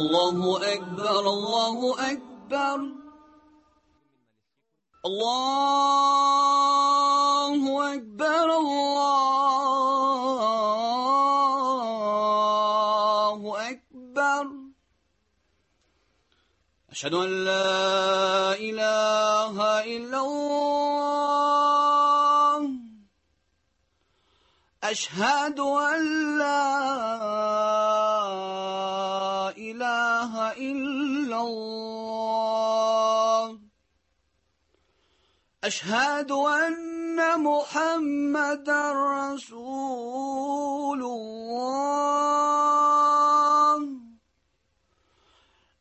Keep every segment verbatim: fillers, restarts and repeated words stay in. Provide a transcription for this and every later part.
الله أكبر الله أكبر الله أكبر الله أكبر أشهد أن لا إله إلا الله أشهد أن لا إله إلا الله أشهد أن محمدا رسول الله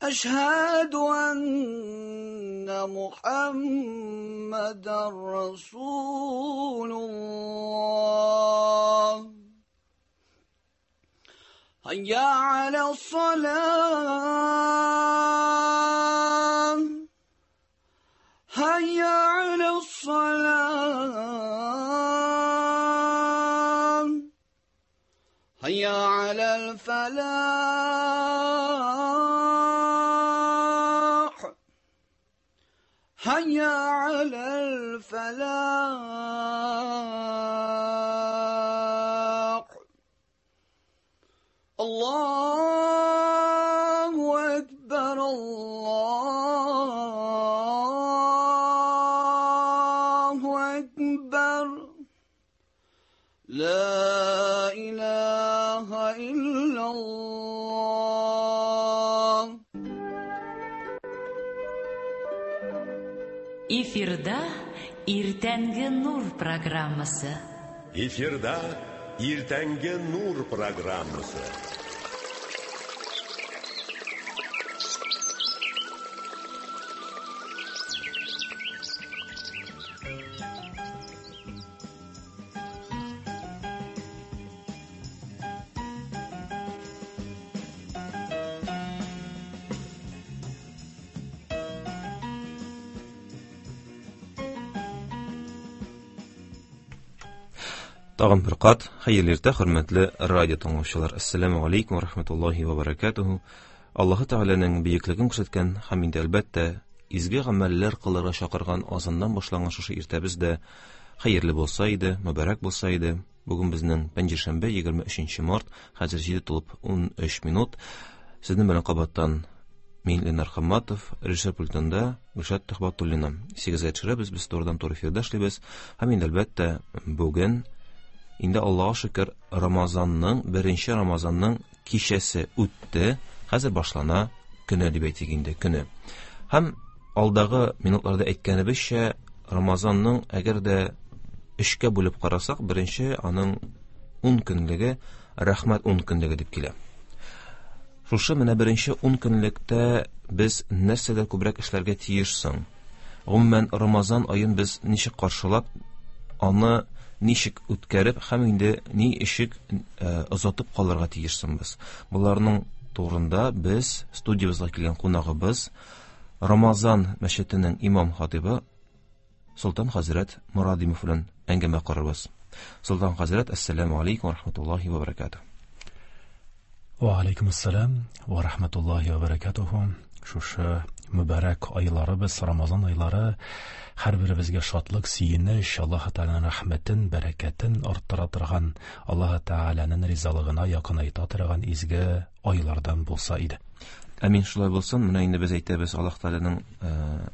أشهد أن محمدا رسول الله هيا على الصلاة هيا على الصلاة هيا على الفلاح هيا على الفلاح الله أكبر الله أكبر لا إله إلا الله. Эфирда Иртәнге Нур программасы. Эфирда Иртәнге Нур программасы. Тагын бер кат хәерле иртә, хөрмәтле радио тыңлаучылар. Ассаламу алейкум ва рахматуллахи ва баракатуху. Аллаһы Тәгаләнең бөеклеген күрсәткән һәм инде әлбәттә изге гамәлләр кылырга чакырган азаннан башланган шушы иртәбез дә хәерле булса иде, мөбарәк булса иде. Бүген безнең пәнҗешәмбе, егерме өченче март, хәзер җиде тулып ун өч минут. Сезнең белән кабаттан мин Ленар Хамматов, режиссер пультында Гөлшат Төхбәтуллина. Сигезгә төшерәбез, без турыдан туры эфирда эшлибез. Һәм инде әлбәттә бүген инде Аллаһка шөкер, Рамазанның, беренче Рамазанның кичәсе үтте. Хәзер башлана көне дип әйтик инде, көне. Һәм алдагы минутларда әйткәнебезчә, Рамазанның әгәр дә өчкә бүлеп карасак, беренче аның ун көнлеге рәхмәт ун көнлеге дип килә. Шушы менә беренче ун көнлектә без нәрсәдә күбрәк эшләргә тиеш соң? Гомумән, Рамазан аен без ничек каршылап, аны ничек үткәреп һәм инде ни ишек озатып калырга тиешсең без? Буларның турында без студиябызга килгән кунагыбыз Рамазан мәчетенең имам хатибы Солтан хәзрәт Морадимов белән әңгәмә корырбыз. Солтан хәзрәт, ассаламу алейкум ва рахматуллахи ва баракатуһ. Ва алейкум ассалам ва рахматуллахи ва баракатуһ. Шушы мөбарәк айларыбыз, Рамазан айлары һәр беребезгә шатлык, сөенеч, Аллаһ Тәгаләнең рәхмәтен, бәрәкәтен арттыра торган, Аллаһ Тәгаләнең ризалыгына якынайта торган изге айлардан булса иде. Амин, шулай булсын. Менә инде без әйтәбез Аллаһ Тәгаләнең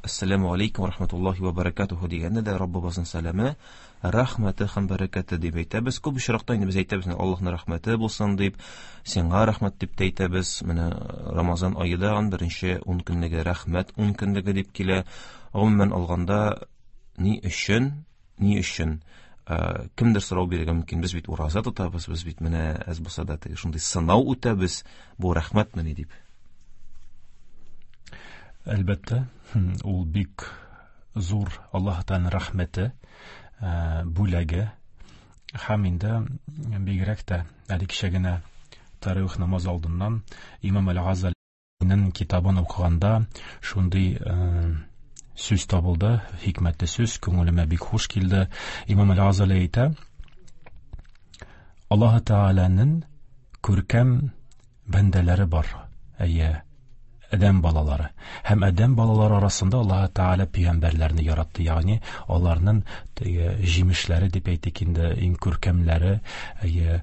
ассаламу алейкум ва рахматуллахи ва баракатуху дигәндә дә Раббыбызның сәламе, рәхмәте һәм бәрәкәте дип әйтәбез. Күп очракта инде без әйтәбез Аллаһның рәхмәте булсын дип, сиңа рәхмәт дип тә әйтәбез. Менә Рамазан аенда беренче ун көнлеге рәхмәт ун көнлеге дип килә. Гомумән алганда, ни өчен, ни өчен кемдер сорау бирергә мөмкин? Без бит ураза тотабыз, без бит менә әз булса да теге шундый сынау үтәбез, бу рәхмәтмени дип. Әлбәттә, ул бик зур Аллаһ Тәгаләнең рәхмәте, бүләге. Һәм инде бигрәк тә әле кичә генә таравих намазы алдыннан Имам Әл-Газалинең китабын укыганда шундый сүз табылды, хикмәтле сүз, күңелемә бик хуш килде. Имам Әл-Газали әйтә: Аллаһ Тәгаләнең күркәм бәндәләре бар. Әйе, адәм балалары. Һәм адәм балалары арасында Аллаһ Тәгалә пәйгамбәрләрне яратты, ягъни аларның теге җимешләре дип әйтик инде, иң күркәмләре, әйе,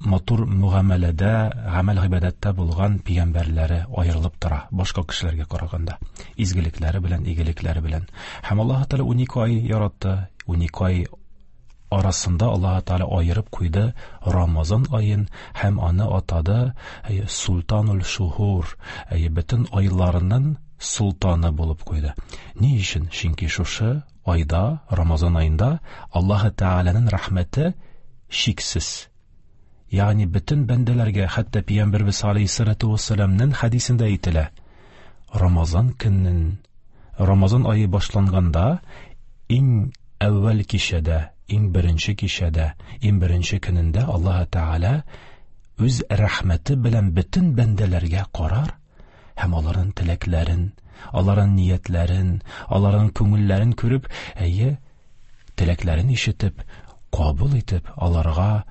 матур мөгамәләдә, гамәл гыйбадәттә булган пәйгамбәрләре аерылып тора башка кешеләргә караганда, изгелекләре белән, игелекләре белән. Һәм Аллаһ Тәгалә унике ай яратты, унике ай арасында Аллаһ Тәгалә аерып куйды Рамазан аен һәм аны атады әйе, Султанул Шухур, әйе, бөтен айларының султаны булып куйды. Ни өчен? Чөнки шушы айда, Рамазан аенда Аллаһ Тәгаләнең рәхмәте чиксез. Ягъни бөтен бәндәләргә, хәтта Пәйгамбәрбез алейһиссалату вассаламның хәдисендә әйтелә: Рамазан көнен, Рамазан ае башланганда иң әүвәл кичәдә, иң беренче кичәдә, иң беренче көнендә Аллаһ Тәгалә үз рәхмәте белән бөтен бәндәләргә карар һәм аларның теләкләрен, аларның ниятләрен, аларның күңелләрен күреп, әйе, теләкләрен ишетеп, кабул итеп, аларга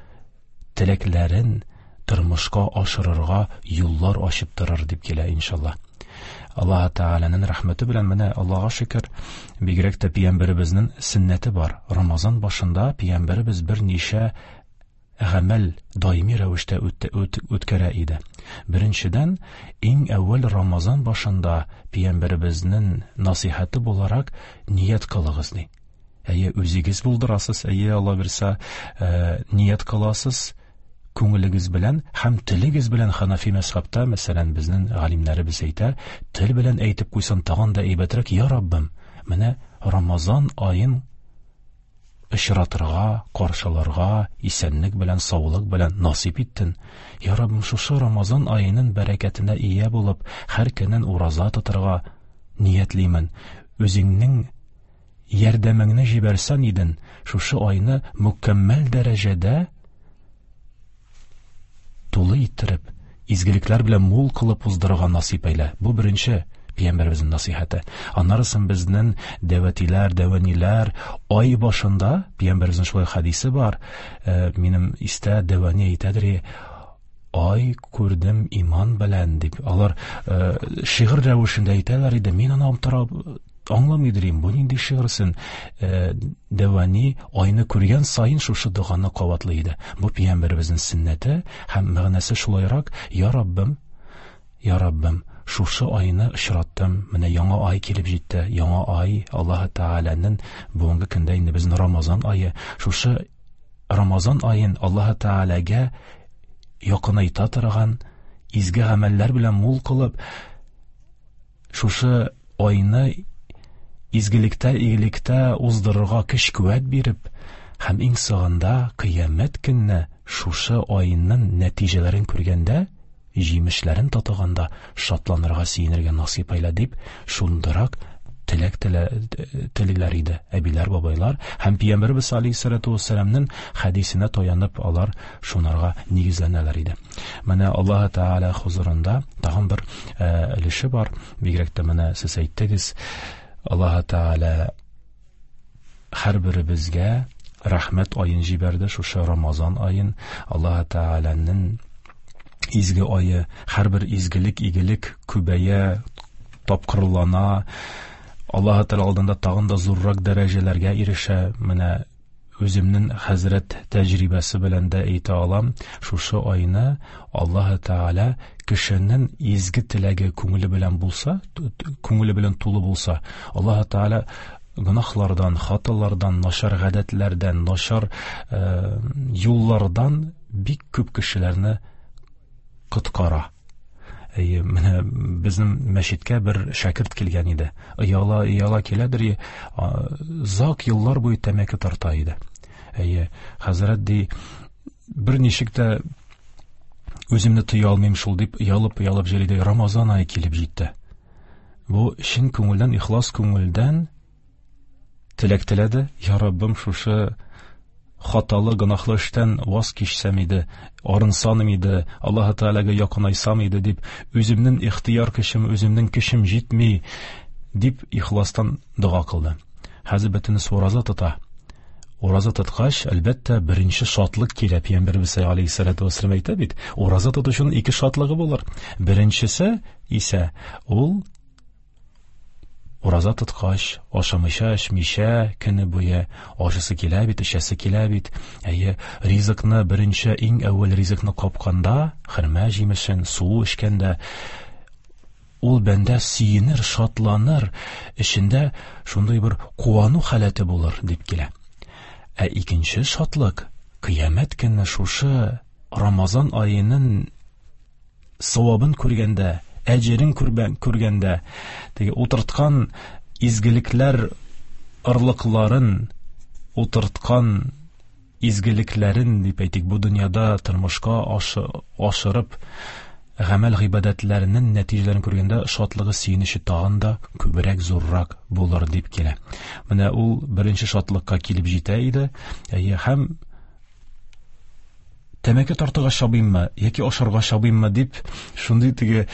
теләкләрен тормышка ашырырга юллар ачып торыр дип килә иншалла. Аллаһ Тәгаләнең рәхмәте белән менә Аллаһка шөкер, бигрәк тә пәйгамбәребезнең сөннәте бар. Рамазан башында пәйгамбәребез берничә гамәл даими рәвештә үткәрә иде. Беренчедән, иң әүвәл Рамазан башында пәйгамбәребезнең насыйхаты буларак ният кылыгыз ди. Әйе, үзегез булдырасыз, әйе, Алла бирсә, ният кыласыз күңелегез белән һәм телегез белән. Ханафи мәзһәбтә, мәсәлән, безнең галимнәребез әйтә, тел белән әйтеп куйсаң тагын да әйбәтрәк: "Я Раббым, менә Рамазан аен очратырга, каршыларга исәнлек белән, саулык белән насыйп иттең. Я Раббым, шушы Рамазан аеның бәрәкәтенә ия булып, һәр көнен ураза тотырга ниятлимен. Үзеңнең ярдәмеңне җибәрсәң идең, шушы айны мөкәммәл дәрәҗәдә тулы иттереп, изгелекләр белән мул кылып уздырырга насыйп әйлә." Бу беренче пәйгамбәребезнең насыйхаты. Аннары безнең дәвәтиләр, дәвәниләр ай башында пәйгамбәребезнең шулай хәдисе бар. Ә, минем истә дәвәни әйтәдер: "Ай күрдем иман белән" дип. Алар ә, шигырь рәвешендә әйтәләр иде. Мин аны торып аңламый идем, бу нинди шигырсен? Дәвәни айны күргән саен шушы доганы кабатлый иде. Бу пәйгамбәребезнең сөннәте һәм мәгънәсе шулайрак: "Я Раббым, я Раббым, шушы айны очраттым, менә яңа ай килеп җитте, яңа ай Аллаһ Тәгаләнең бүгенге көндә инде безнең Рамазан ае, шушы Рамазан аен Аллаһ Тәгаләгә якынайта торган изге гамәлләр белән мул кылып, шушы айны изгелектә, игелектә уздырырга көч куәт биреп, һәм иң соңында кыямәт көнне шушы айның нәтиҗәләрен күргәндә, җимешләрен татыганда шатланырга, сөенергә насыйп әйлә" дип, шундырак теләк телиләр иде әбиләр, бабайлар. Һәм Пәйгамбәребез алейһиссалату вассаламның хәдисенә таянып алар шунарга нигезләнәләр иде. Менә Аллаһ Тәгалә хузурында тагын бер өлеше бар. Бигрәк тә менә сез әйттегез, Аллаһ Тәгалә һәрберебезгә рәхмәт аен җибәрде, шушы Рамазан аен, Аллаһ Тәгаләнең изге ае, һәрбер изгелек, игелек күбәя, тапкырлана, Аллаһ Тәгалә алдында тагын да зуррак дәрәҗәләргә ирешә. Менә үземнең хәзрәт тәҗрибәсе белән дә әйтә алам, шушы айны Аллаһ Тәгалә кешенең изге теләге күңеле белән булса, күңеле белән тулы булса, Аллаһ Тәгалә гөнаһлардан, хаталардан, начар гадәтләрдән, начар э, юллардан бик күп кешеләрне коткара. Әйе, менә безнең мәчеткә бер шәкерт килгән иде. Ояла, ояла киләдер, озак еллар буе тәмәке тарта иде. Әйе, хәзрәт ди, бер ничек тә үземне тыя алмыйм шул дип, оялып, оялып йөри иде. Рамазан ае килеп җитте. Бу чын күңелдән, ихлас күңелдән теләк теләде: "Я Раббым, шушы хаталы, гөнаһлы эштән ваз кичсәм иде, арынсам иде, Аллаһ Тәгаләгә якынайсам иде" дип, үземнең ихтыяр көчем, үземнең көчем җитми дип ихластан дога кылды. Хәзер бөтенесе ураза тота. Ураза тоткач, әлбәттә, беренче шатлык килә. Пәйгамбәребез алейһиссалату вассалам әйтә бит, ураза тотучының ике шатлыгы булыр. Беренчесе исә ул ураза тоткач, ашамыйча, эчмичә көне буе ашысы килә бит, эчәсе килә бит. Әйе, ризыкны беренче иң әүвәл ризыкны капканда, хөрмә җимешен, су эчкәндә ул бәндә сөенер, шатланыр, эчендә шундый бер куану халәте булыр дип килә. Ә икенче шатлык кыямәт көнне шушы Рамазан аеның савабын күргәндә, әҗерен күргәндә, теге утырткан изгелекләр ырлыкларын, утырткан изгелекләрен дип әйтик, бу дөньяда тормышка ашырып гамәл гыйбадәтләренең нәтиҗәләрен күргәндә шатлыгы, сөенече тагын да күбрәк, зуррак булыр дип килә. Менә ул беренче шатлыкка килеп җитә иде. Әйе, һәм тәмәке тартырга чабыйммы яки ашарга чабыйммы дип шундый теге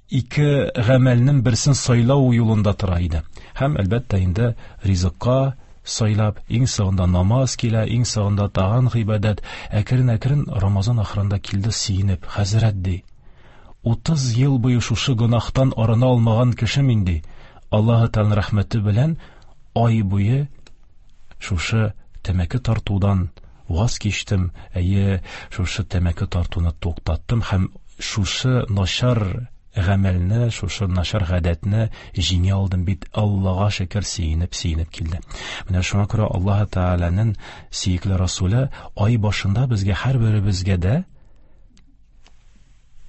ике гамәлнең берсен сайлау юлында тора иде. Һәм әлбәттә инде ризыкка сайлап, иң соңында намаз килә, иң соңында тагын гыйбадәт. Әкрен-әкрен Рамазан ахырында килде сөенеп, хәзрәт ди, утыз ел буе шушы гөнаһтан арына алмаган кеше мин ди. Аллаһы Тәгаләнең рәхмәте белән ай буе шушы тәмәке тартудан ваз кичтем, әйе, шушы тәмәке тартуны туктаттым һәм шушы начар гамәлне, шушы начар гадәтне җиңә алдым бит, Аллаһка шөкер, сөенеп, сөенеп килде. Менә шуңа күрә Аллаһ Тәгаләнең сөекле Расуле ай башында безгә, һәрберебезгә дә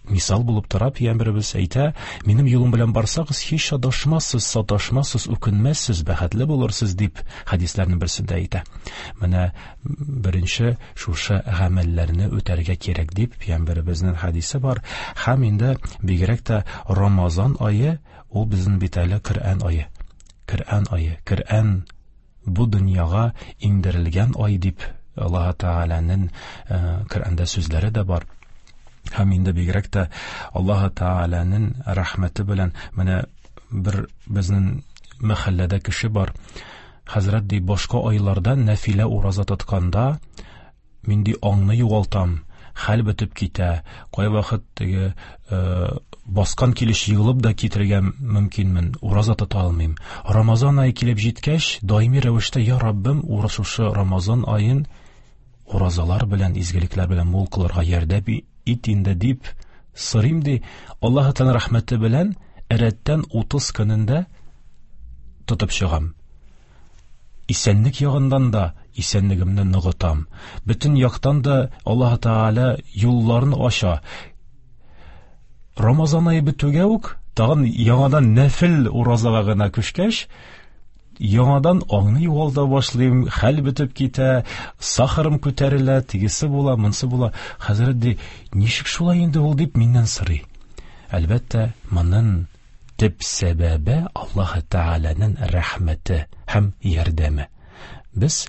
мисал булып тора. Пәйгамбәребез әйтә, минем юлым белән барсагыз, һич адашмассыз, саташмассыз, үкенмәссез, бәхетле булырсыз дип хәдисләрнең берсендә әйтә. Менә беренче шушы гамәлләрне үтәргә кирәк дип Пәйгамбәребезнең хәдисе бар. Һәм инде бигрәк тә Рамазан ае ул безнең бит әле Коръән ае. Коръән ае, Коръән бу дөньяга иңдерелгән ай дип Аллаһ Тәгаләнең Коръәндә сүзләре дә бар. Һәм инде бигрәк тә Аллаһ Тәгаләнең рәхмәте белән менә бер безнең мәхәлләдә кеше бар. Хәзрәт ди, башка айларда нәфилә ураза тотканда мин ди аңны югалтам, хәл бетеп китә, кайвакыт теге баскан килеш егылып да китергә мөмкинмен, ураза тота алмыйм. Рамазан ае килеп җиткәч, даими рәвештә, я Раббым, шушы Рамазан аен уразалар белән, изгелекләр белән мул кылырга ярдәм ит инде дип сорыйм ди. Аллаһ Тәгалә рәхмәте белән рәттән утыз көнендә тотып чыгам. Исәнлек ягыннан да исәнлегемне ныгытам. Бөтен яктан да Аллаһ Тәгалә юлларын ача. Рамазан ае бетүгә үк тагын яңадан нәфил уразага гына күчкәч, яңадан аңны югалта башлыйм, хәл бетеп китә, сахарым күтәрелә, тегесе була, монсы була. Хәзрәт ди, ничек шулай инде ул дип миннән сорый. Әлбәттә, моның төп сәбәбе Аллаһ Тәгаләнең рәхмәте һәм ярдәме. Без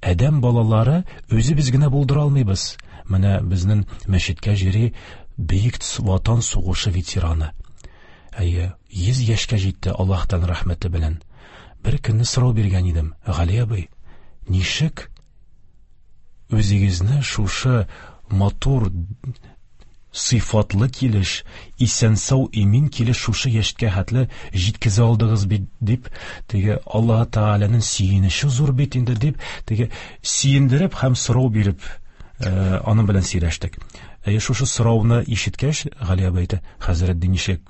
адәм балалары үзебез генә булдыра алмыйбыз. Менә безнең мәчеткә җири Бөек Ватан сугышы ветераны. Әйе, йөз яшькә җитте Аллаһтан рәхмәте белән. Бер көнне сорау биргән идем, Гали абый, ничек үзегезне шушы матур сыйфатлы килеш, исән-сау имин килеш шушы яшькә хәтле җиткезә алдыгыз бит дип, теге Аллаһ Тәгаләнең сөенече зур бит инде дип, теге сөендереп һәм сорау биреп, аның белән сөйләштек. Әйе, шушы сорауны ишеткәч, Гали абый әйтә, хәзрәт, ничек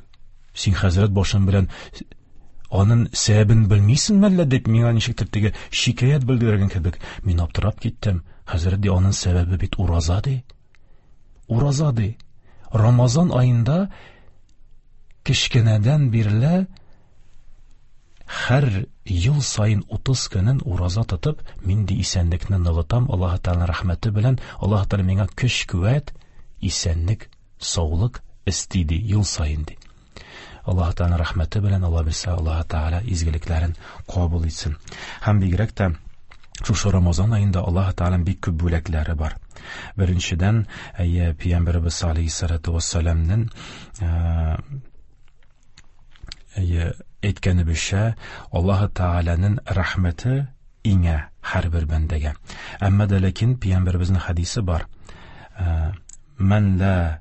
син хәзрәт башың белән аның сәбәбен белмисең мәллә дип миңа ничектер теге шикаять белдергән кебек. Мин аптырап киттем. Хәзрәт ди, аның сәбәбе бит ураза ди. Ураза ди. Рамазан аенда кечкенәдән бирле һәр ел сайын утыз көнен ураза тотып, мин ди исәнлекне ныгытам, Аллаһ Тәгаләнең рәхмәте белән Аллаһ Тәгалә миңа көч, куәт, исәнлек, саулык өсти ди ел сайын ди. Аллаһ Тәгаләнең рәхмәте белән Алла бирсә, Аллаһ Тәгалә изгелекләрен кабул итсен. Һәм бигрәк тә шушы Рамазан аенда Аллаһ Тәгаләнең бик күп бүләкләре бар. Беренчедән, әйе, Пәйгамбәребез алейһиссалату вассаламның әйе, Әйткәнебезчә, Аллаһы Тәгаләнең рәхмәте иңә һәрбер бәндәгә. Әмма дә ләкин пәйгамбәребезнең хәдисе бар. Мән ла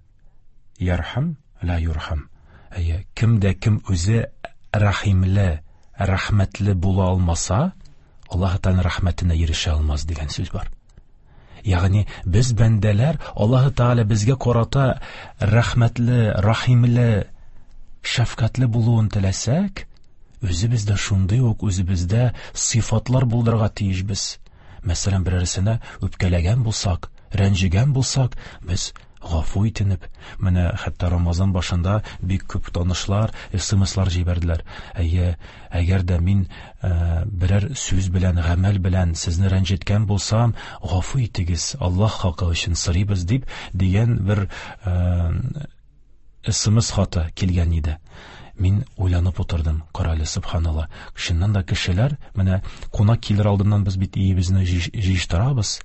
ярхам ла юрхам. Әйе, кем дә кем үзе рәхимле, рәхмәтле була алмаса, Аллаһы Тәгаләнең рәхмәтенә ирешә алмас дигән сүз бар. Ягъни без бәндәләр Аллаһы Тәгалә безгә карата рәхмәтле, рәхимле, шәфкатьле булуын теләсәк, үзебездә шундый ук үзебездә сыйфатлар булдырырга тиешбез. Мәсәлән, берәрсенә үпкәләгән булсак, рәнҗегән булсак, без гафу итенеп, менә хәтта Рамазан башында бик күп танышлар, смслар җибәрделәр. Әйе, әгәр дә мин ә, берәр сүз белән, гамәл белән сезне рәнҗеткән булсам, гафу итегез, Аллаһ хакы өчен сорыйбыз дип дигән бер ә, смс хаты килгән иде. Мин уйланып утырдым, карале, субханалла. Чыннан да кешеләр, менә кунак килер алдыннан без бит өебезне җыештырабыз,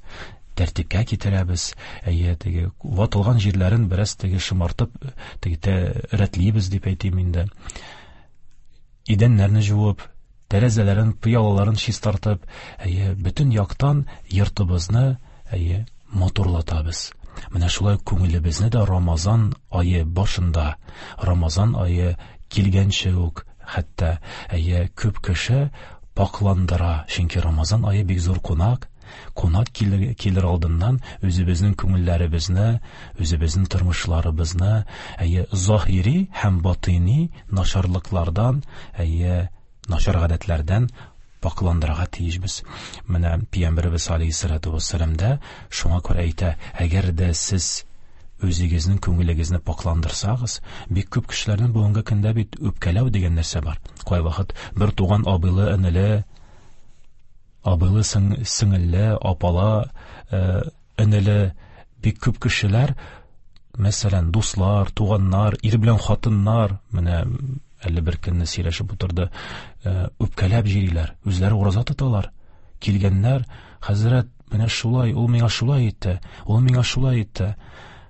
тәртипкә китерәбез, әйе, теге ватылган җирләрен бераз теге шомартып, теге рәтлибез дип әйтим инде. Идәннәрне жуып, тәрәзәләрен, пыялаларын чистартып, әйе, бөтен яктан йортыбызны, әйе, матурлатабыз. Менә шулай күңелебезне дә Рамазан ае башында, Рамазан ае килгәнче үк, хәтта, әйе, күп кеше пакландыра, чөнки Рамазан ае бик зур кунак. Кунак килер, килер алдыннан үзебезнең күңелләребезне, үзебезнең тормышларыбызны, әйе, заһири һәм батыни начарлыклардан, әйе, начар гадәтләрдән пакландырырга тиешбез. Менә Пәйгамбәребез алейһиссалату вассалам да шуңа күрә әйтә, әгәр дә сез үзегезнең күңелегезне пакландырсагыз, бик күп кешеләрнең бүгенге көндә бит үпкәләү дигән нәрсә бар. Кайвакыт бер туган абыйлы, энеле, абыйлы, сеңелле, апала, энеле, бик күп кешеләр, мәсәлән, дуслар, туганнар, ир белән хатыннар, менә әле бер көнне сөйләшеп утырды, үпкәләп җөриләр, үзләре ураза тоталар. Килгәннәр, хәзрәт, менә шулай, ул миңа шулай итте, ул миңа шулай итте.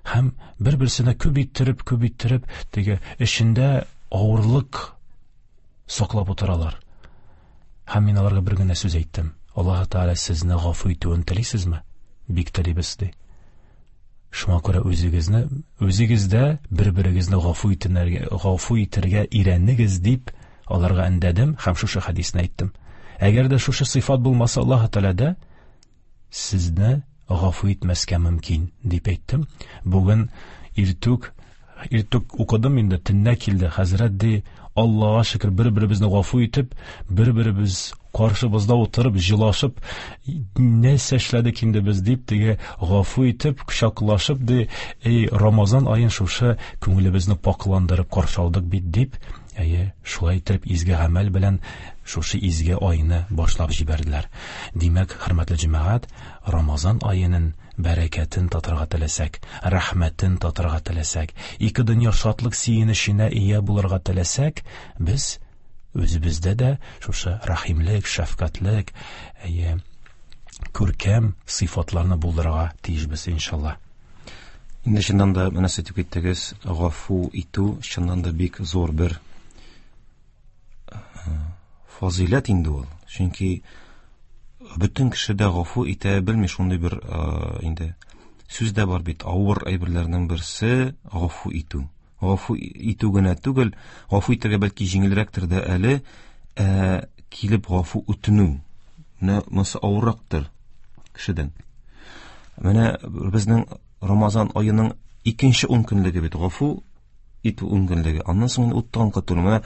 Һәм бер-берсенә күп иттереп, күп иттереп, теге эчендә авырлык саклап утыралар. Һәм мин аларга бер генә сүз әйттем. Аллаһ Тәгалә сезне гафу итүен телисезме? Бик телибез, ди. Шуңа күрә үзегезне, үзегездә бер-берегезне гафу итәргә, гафу итәргә өйрәнегез дип аларга өндәдем һәм шушы хәдисне әйттем. Әгәр дә шушы сыйфат булмаса, Аллаһ Тәгалә сезне гафу итмәскә мөмкин дип әйттем. Бүген иртүк, иртүк укыдым инде, төнлә килде. Хәзрәт ди, Аллаһка шөкер, бер-беребезне гафу итеп, бер-беребез каршыбызда утырып, җылашып, нәрсә эшләдек инде без дип, теге гафу итеп, кочаклашып ди, эй, Рамазан аен шушы күңелебезне пакландырып каршы алдык бит дип, әйе, шулай итеп изге гамәл белән шушы изге айны башлап җибәрделәр. Димәк, хөрмәтле җәмәгать, Рамазан аеның бәрәкәтен татырга теләсәк, рәхмәтен татырга теләсәк, ике дөнья шатлык сөенеченә ия булырга теләсәк, без үзебездә дә шушы рәхимлек, шәфкатьлек, әйе, күркәм сыйфатларны булдырырга тиешбез, иншалла. Инде чыннан да менә сез әйтеп киттегез, гафу итү чыннан да бик зур бер фазыйләт инде ул. Чөнки бөтен кеше дә гафу итә белми, шундый бер инде сүз дә бар бит, авыр әйберләрнең берсе гафу итү. Гафу итү генә түгел, гафу итәргә бәлки җиңелрәктер дә әле, ә, килеп гафу үтенү. Менә монысы авыррактыр кешедән. Менә безнең Рамазан аеның икенче ун көнлеге бит, гафу итү ун көнлеге. Аннан соң инде уттан котылу. Менә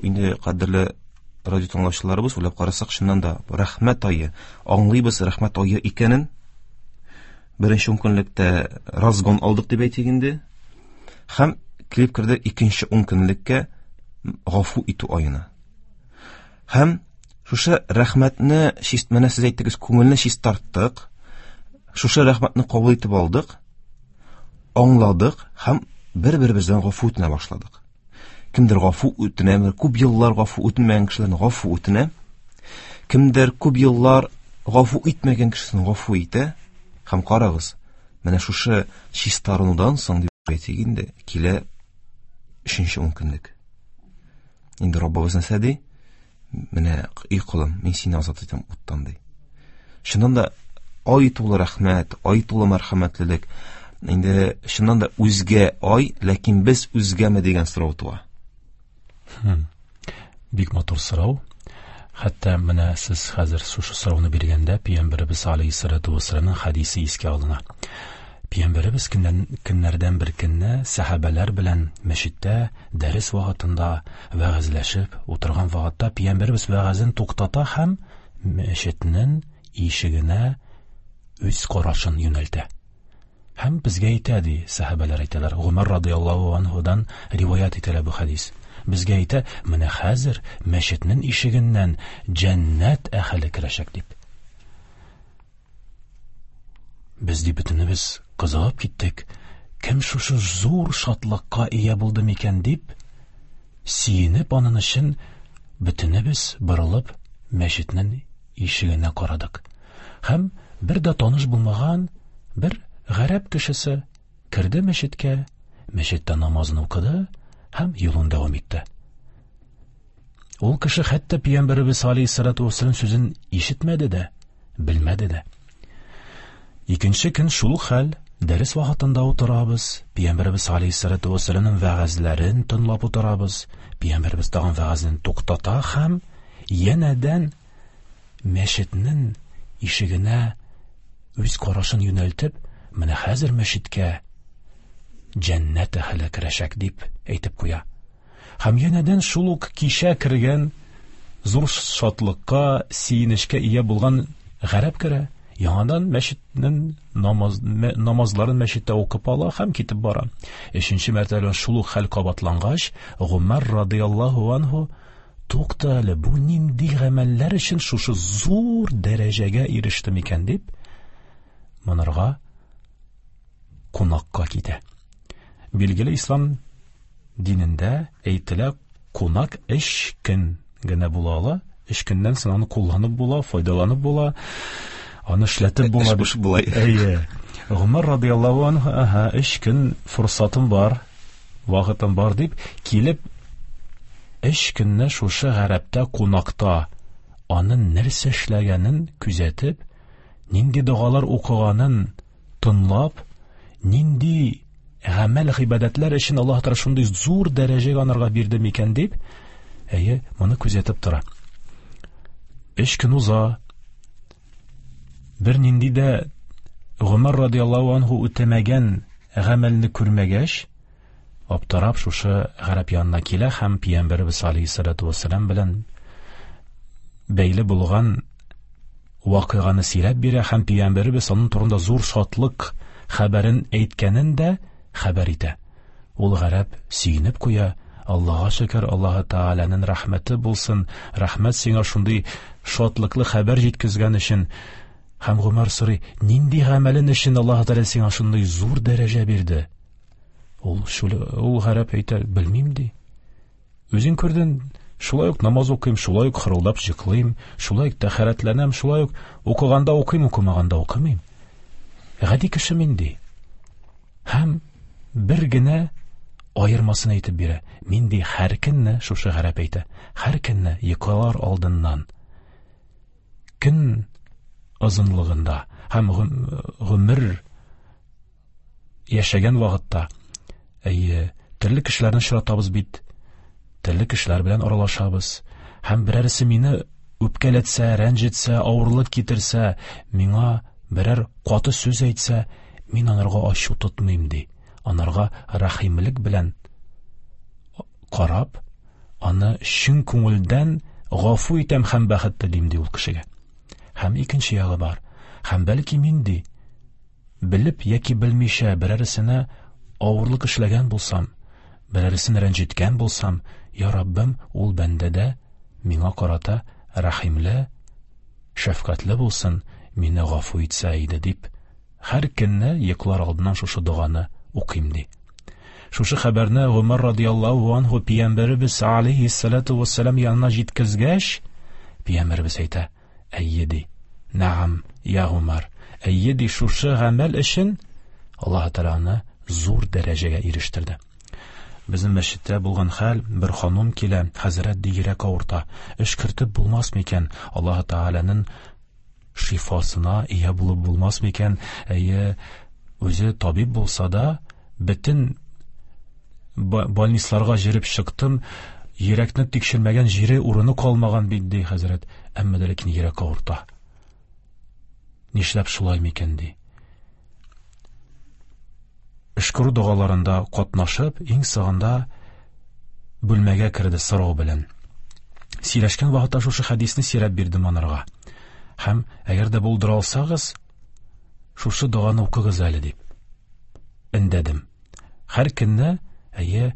инде кадерле радио тыңлаучыларыбыз, уйлап карасак, чыннан да рәхмәт ае, аңлыйбыз рәхмәт ае икәнен. Беренче ун көнлектә разгон алдык дип әйтик инде. Һәм килеп керде икенче ун көнлеккә гафу итү аена. Һәм шушы рәхмәтне чист, менә сез әйттегез, күңелне чистарттык. Шушы рәхмәтне кабул итеп алдык, аңладык һәм бер-беребездән гафу үтенә башладык. Кемдер гафу үтенә, күп еллар гафу үтенмәгән кешеләрне гафу үтенә. Кемдер күп еллар гафу итмәгән кешесен гафу итә. Һәм карагыз, менә шушы чистарынудан соң дип әйтик инде, килә өченче ун көнлек. Инде Раббыбыз нәрсә ди? Менә, эй колым, мин сине азат итәм уттан ди. Чыннан да ай тулы рәхмәт, ай тулы мәрхәмәтлелек. Инде чыннан да үзгә ай, ләкин без үзгәме дигән сорау туа. Хм. Бик матур сорау. Хәтта менә сез хәзер шушы сорауны биргәндә Пәйгамбәребез алейһиссалату вассаламның хәдисе искә алына. Пәйгамбәребез көннән, көннәрдән бер көнне сәхабәләр белән мәчеттә дәрес вакытында вәгазьләшеп утырган вакытта Пәйгамбәребез вәгазен туктата һәм мәчетнең ишегенә үз карашын юнәлтә. Һәм безгә әйтә ди, сәхабәләр әйтәләр. Гомәр радияллаһу анһудан риваять ителә бу хәдис. Безгә әйтә, менә хәзер мәчетнең ишегеннән җәннәт әһеле керәчәк дип. Без ди бөтенебез кызыгып киттек. Кем шушы зур шатлыкка ия булды микән дип, сөенеп аның өчен бөтенебез борылып мәчетнең ишегенә карадык. Һәм бер дә таныш булмаган бер гарәп кешесе керде мәчеткә, мәчеттә намазын укыды һәм юлын дәвам итте. Ул кеше хәтта Пәйгамбәребез алейһиссалату вассалам сүзен ишетмәде дә, белмәде дә. Икенче көн шул хәл, дәрес вакытында утырабыз, Пәйгамбәребез алейһиссалату вассаламның вәгазьләрен тыңлап утырабыз. Пәйгамбәребез тагын вәгазен туктата һәм янәдән мәчетнең ишегенә үз карашын юнәлтеп, менә хәзер мәчеткә җәннәт әһеле керәчәк дип әйтеп куя. Һәм янәдән шул ук кичә кергән зур шатлыкка, сөенечкә ия булган гарәп керә, яңадан мәчетнең намаз, намазларын мәчеттә укып ала һәм китеп бара. Өченче мәртәбә шул ук хәл кабатлангач, Гомәр радияллаһу анһу тукта әле, бу нинди гамәлләр өчен шушы зур дәрәҗәгә иреште микән дип, монарга кунакка китә. Билгеле, ислам динендә әйтелә, кунак өч көн генә була ала. Өч көннән соң аны кулланып була, файдаланып була, аны эшләтеп була. Эш буш була. Әйе. Гомәр радияллаһу анһу, аһа, өч көн форсатым бар, вакытым бар дип килеп, өч көнне шушы гарәптә кунакта аның нәрсә эшләгәнен күзәтеп, нинди догалар укыганын тыңлап, нинди гамәл гыйбадәтләр өчен Аллаһ Тәгалә шундый зур дәрәҗәгә анарга бирде микән дип, әйе, моны күзәтеп тора. Өч көн уза, бер нинди дә Гомәр радияллаһу анһу үтәмәгән гамәлне күрмәгәч, аптырап шушы гарәп янына килә һәм Пәйгамбәребез алейһиссалату вассалам белән бәйле булган вакыйганы сөйләп бирә һәм Пәйгамбәребез аның турында зур шатлык хәбәрен әйткәнен дә хәбәр итә. Ул гарәп сөенеп куя, Аллаһка шөкер, Аллаһ Тәгаләнең рәхмәте булсын, рәхмәт сиңа шундый шатлыклы хәбәр җиткезгән өчен. Һәм Гомәр сорый, нинди гамәлен өчен Аллаһ Тәгалә сиңа шундый зур дәрәҗә бирде? Ул шул, ул гарәп әйтә, белмим ди. Үзең күрдең, шулай ук намаз укыйм, шулай ук хырылдап җыклыйм, шулай ук тәһарәтләнәм, шулай ук укыганда укыйм, укымаганда укымыйм. Гади кеше мин ди. Һәм бер генә аермасын әйтеп бирә. Мин ди һәр көнне, шушы гарәп әйтә, һәр көнне йоклар алдыннан көн озынлыгында һәм гомер яшәгән вакытта, әйе, төрле кешеләрне очратабыз бит, төрле кешеләр белән аралашабыз. Һәм берәрсе мине үпкәләтсә, рәнҗетсә, авырлык китерсә, миңа берәр каты сүз әйтсә, мин анарга ачу тотмыйм ди. Анарга рәхимлек белән карап, аны чын күңелдән гафу итәм һәм бәхет телим ди ул кешегә. Һәм икенче ягы бар. Һәм бәлки мин ди, белеп яки белмичә берәрсенә авырлык эшләгән булсам, берәрсен рәнҗеткән булсам, я Раббым, ул бәндәдә миңа карата рәхимле, шәфкатьле булсын, мине гафу итсә иде дип, һәр көнне йоклар алдыннан шушы доганы укыйм ди. Шушы хәбәрне Гомәр радияллаһу анһу Пәйгамбәребез алейһиссалату вассалам янына җиткезгәч, Пәйгамбәребез әйтә, әйе ди, нәгам, я Гомәр, әйе ди, шушы гамәл өчен Аллаһ Тәгалә аны зур дәрәҗәгә ирештерде. Безнең мәчеттә булган хәл, бер ханым килә, хәзрәт ди, йөрәк авырта. Өшкертеп булмас микән? Аллаһ Тәгаләнең шифасына ия булып булмас микән? Әйе, үзе табиб булса да, бөтен больницаларга җөреп чыктым, йөрәкне тикшермәгән җире урыны калмаган бит, ди хәзрәт. Әмма дә ләкин йөрәк авырта. Нишләп шулай микән, ди. Өшкерү догаларында катнашып, иң соңында бүлмәгә керде сорау белән. Сөйләшкән вакытта шушы хәдисне сөйләп бирдем анарга. Һәм әгәр дә булдыра алсагыз, шушы доганы укыгыз әле дип өндәдем. Һәр көнне, әйе,